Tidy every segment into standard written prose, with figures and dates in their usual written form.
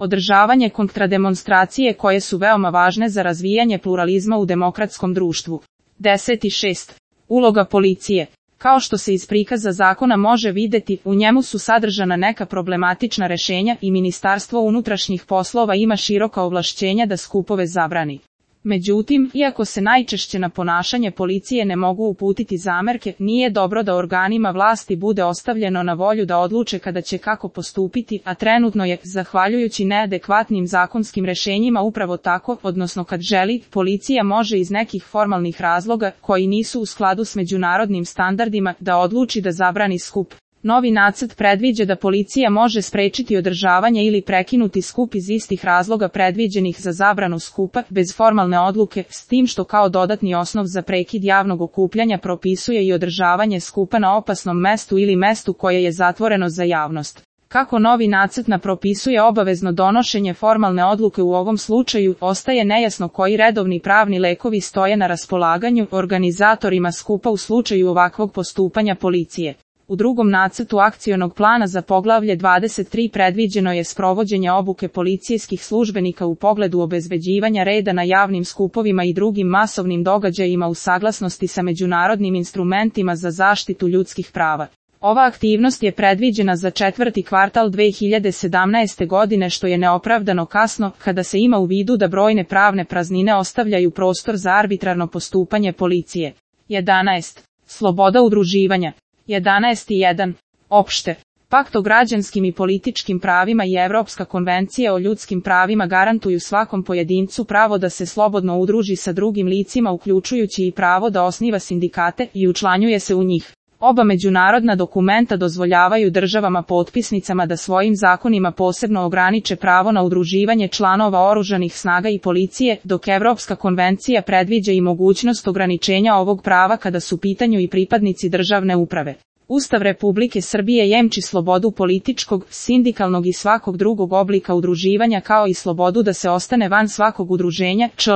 Održavanje kontrademonstracije koje su veoma važne za razvijanje pluralizma u demokratskom društvu. 10.6. Uloga policije. Kao što se iz prikaza zakona može videti, u njemu su sadržana neka problematična rešenja i Ministarstvo unutrašnjih poslova ima široka ovlašćenja da skupove zabrani. Međutim, iako se najčešće na ponašanje policije ne mogu uputiti zamerke, nije dobro da organima vlasti bude ostavljeno na volju da odluče kada će kako postupiti, a trenutno je, zahvaljujući neadekvatnim zakonskim rešenjima upravo tako, odnosno kad želi, policija može iz nekih formalnih razloga, koji nisu u skladu s međunarodnim standardima, da odluči da zabrani skup. Novi nacrt predviđa da policija može sprečiti održavanje ili prekinuti skup iz istih razloga predviđenih za zabranu skupa, bez formalne odluke, s tim što kao dodatni osnov za prekid javnog okupljanja propisuje i održavanje skupa na opasnom mestu ili mestu koje je zatvoreno za javnost. Kako novi nacrt propisuje obavezno donošenje formalne odluke u ovom slučaju, ostaje nejasno koji redovni pravni lekovi stoje na raspolaganju organizatorima skupa u slučaju ovakvog postupanja policije. U drugom nacrtu akcionog plana za poglavlje 23 predviđeno je sprovođenje obuke policijskih službenika u pogledu obezbeđivanja reda na javnim skupovima i drugim masovnim događajima u saglasnosti sa međunarodnim instrumentima za zaštitu ljudskih prava. Ova aktivnost je predviđena za četvrti kvartal 2017. godine, što je neopravdano kasno, kada se ima u vidu da brojne pravne praznine ostavljaju prostor za arbitrarno postupanje policije. 11. Sloboda udruživanja. 11.1. Opšte. Pakt o građanskim i političkim pravima i Evropska konvencija o ljudskim pravima garantuju svakom pojedincu pravo da se slobodno udruži sa drugim licima, uključujući i pravo da osniva sindikate i učlanjuje se u njih. Oba međunarodna dokumenta dozvoljavaju državama potpisnicama da svojim zakonima posebno ograniče pravo na udruživanje članova oružanih snaga i policije, dok Evropska konvencija predviđa i mogućnost ograničenja ovog prava kada su u pitanju i pripadnici državne uprave. Ustav Republike Srbije jemči slobodu političkog, sindikalnog i svakog drugog oblika udruživanja, kao i slobodu da se ostane van svakog udruženja, čl.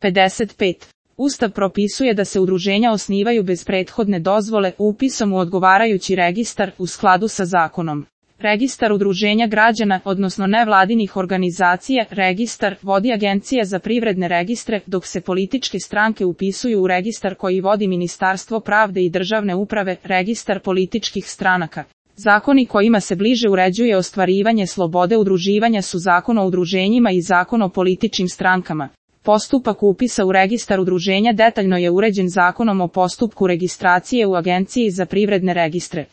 55. Ustav propisuje da se udruženja osnivaju bez prethodne dozvole, upisom u odgovarajući registar, u skladu sa zakonom. Registar udruženja građana, odnosno nevladinih organizacija, registar vodi Agencija za privredne registre, dok se političke stranke upisuju u registar koji vodi Ministarstvo pravde i državne uprave, registar političkih stranaka. Zakoni kojima se bliže uređuje ostvarivanje slobode udruživanja su Zakon o udruženjima i Zakon o političkim strankama. Postupak upisa u registar udruženja detaljno je uređen Zakonom o postupku registracije u Agenciji za privredne registre.